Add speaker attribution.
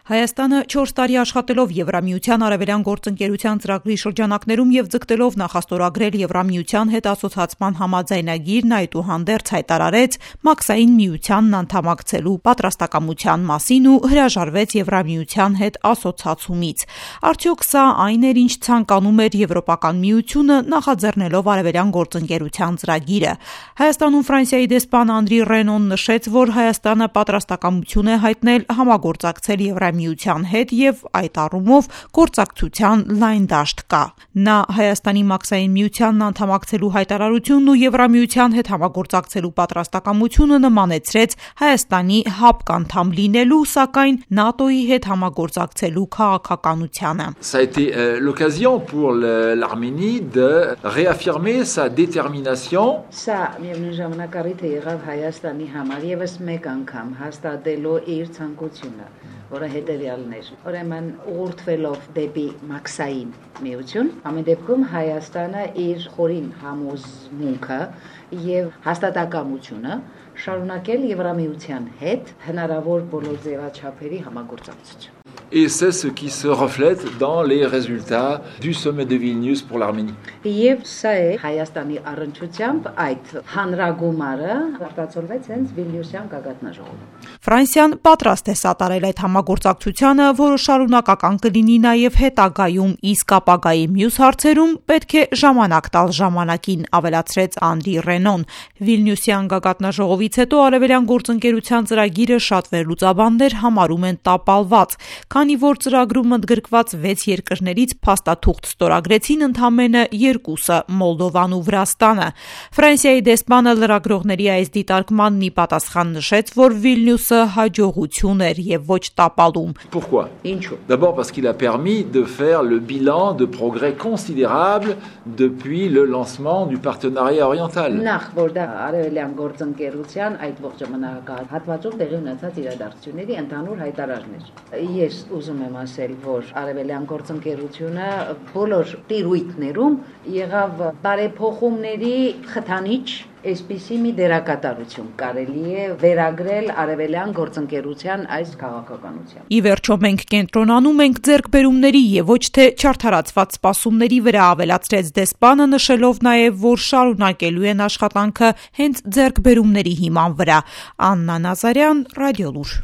Speaker 1: Հայաստանը 4 տարի աշխատելով Եվրամիության արևելյան գործընկերության ծրագրի շրջանակներում և ձգտելով նախաստորագրել Եվրամիության հետ ասոցացման համաձայնագիրն այդուհանդերձ հայտարարեց Մաքսային միությանն անդամակցելու պատրաստակամության մասին ու հրաժարվեց Եվրամիության հետ ասոցացումից։ Արդյոք սա այն էր, ինչ ցանկանում էր Եվրոպական միությունը նախաձեռնելով արևելյան գործընկերության ծրագիրը։ Հայաստանում Ֆրանսիայի դեսպան Անդրի Ռենոն նշեց, որ Հայաստանը պատրաստակամություն է հայտնել համագործակցել Եվրամիության հետ և այդ առումով գործակցության լայն դաշտ կա։ Նա Հայաստանի Մաքսային միությանն անդամակցելու հայտարարությունն ու Եվրամիության հետ համագործակցելու պատրաստակամությունը նմանեցրեց Հայաստանի ՀԱՊԿ անդամ լինելու, սակայն ՆԱՏՕ-ի հետ համագործակցելու քաղաքականությանը։
Speaker 2: Ça a été l'occasion pour l'Arménie de réaffirmer sa détermination.
Speaker 3: Սա միևնույն ժամանակ առիթ է եղավ Հայաստանի համար եւս մեկ անգամ հաստատելու իր ցանկությունը, որը հետևյալն էր։ Ուրեմն ուղղորդվելով դեպի Մաքսային միություն, ամեն դեպքում Հայաստանը իր խորին համոզմունքը եւ հաստատակամությունը շարունակել Եվրամիության հետ հնարավոր բոլոր ձևաչափերի համագործակցություն։
Speaker 2: Et c'est ce qui se reflète dans les résultats du sommet de Vilnius pour l'Arménie.
Speaker 3: Եվ սա է Հայաստանի առընչությամբ այդ հանրագումարը արտացոլվեց հենց Վիլնյուսյան գագաթնաժողովում։
Speaker 1: Ֆրանսիան պատրաստ է սատարել այդ համագործակցությանը, որը շարունակական կլինի նաև հետագայում, իսկ ապագայի մյուս հարցերում պետք է ժամանակ տալ ժամանակին, ավելացրեց Անդրի Ռենոն։ Վիլնյուսյան գագաթնաժողովից հետո արևելյան գործընկերության ծրագիրը շատ վերլուծաբաններ համարում են տապալված, քանի որ ծրագրում ընդգրկված 6 երկրներից փաստաթուղթ ստորագրեցին ընդամենը 2-ը՝ Մոլդովան ու Վրաստանը։ Ֆրանսիայի դեսպանը լրագրողների այս դիտարկմանն ի պատասխան նշեց, որ Վիլնյուսը հաջողություն էր եւ ոչ տապալում։
Speaker 2: Pourquoi?
Speaker 3: Ինչու?
Speaker 2: D'abord parce qu'il a permis de faire le bilan de progrès considérables depuis le lancement du partenariat oriental.
Speaker 3: Նախ որ դա արևելյան գործընկերության այդ ողջ ժամանակահատվածում տեղի ունեցած իրադարձությունների ընդհանուր հայտարարն էր։ Ես ուզում եմ ասել, որ արևելյան գործընկերությունը բոլոր տիրույթներում եղավ բարեփոխումների խթանիչ, այսպիսի մի դերակատարություն կարելի է վերագրել արևելյան գործընկերության այս քաղաքականության։
Speaker 1: Ի վերջո մենք կենտրոնանում ենք ձեռքբերումների եւ ոչ թե չարդարացված սպասումների վրա, ավելացրեց դեսպանը, նշելով նաեւ, որ շարունակելու են աշխատանքը հենց ձեռքբերումների հիման վրա։ Աննա Նազարյան, Ռադիոլուր։